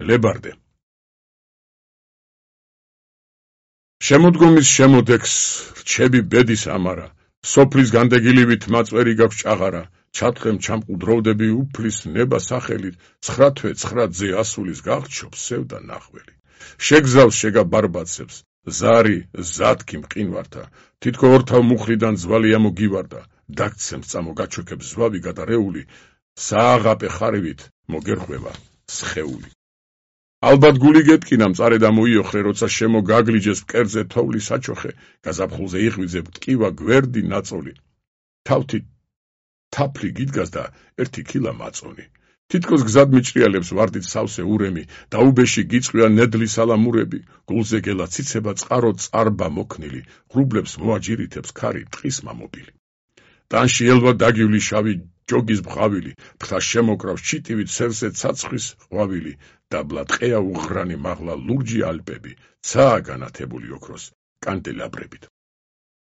ლებარდე. შემოდგომის შემოდექს რჩები ბედის ამარა, სოფლის განდეგილივით მაწვერი გაქვს ჭაღარა, ჩათხემ ჩამყუდროვდები უფლის ნება სახელით, 9 თვე 9 ძე ასულის გაღჩობს სევდა ნახველი. შეგზავს შეგა ბარბაცებს, ზარი ზათქი მყინვართა, თითქო ორთავ მუხლიდან ძვალი ამოგივარდა, დაგცემს წამო გაჩოქებს ზვავი გადარეული, სააღაპე ხარვით მოგერხვევა სხეული. ალბათ გული გეტკინა მწარე და მოიოხრე, როცა შემოგაგლიჯეს მკერდზე თოვლის საჩოხე, გაზაფხულზე იღვიძებ ტკივა გვერდი ნაწოლი. თავთით თაფლი გიდგას და 1 ქილა მაწონი. თითქოს გზად მიჭრიალებს ვარდით სავსე ურემი, დაუბეში გიწყვია ნედლი სალამურები, გულზე გელა ციცება წყარო წარბა მოქნილი, ღრუბლებს მოაჯირითებს ქარი ტყის მამობილი. ტანში ელვა დაგივლი შავი ჯოგის ბღავილი, ფთა შემოკრავს ჩიტივით სევსე ცაცხვის ყვავილი, დაბლა ტყეა უღრანი მაღლა ლურჯი ალპები, ცაა განათებული ოქროს კანდელაბრებით.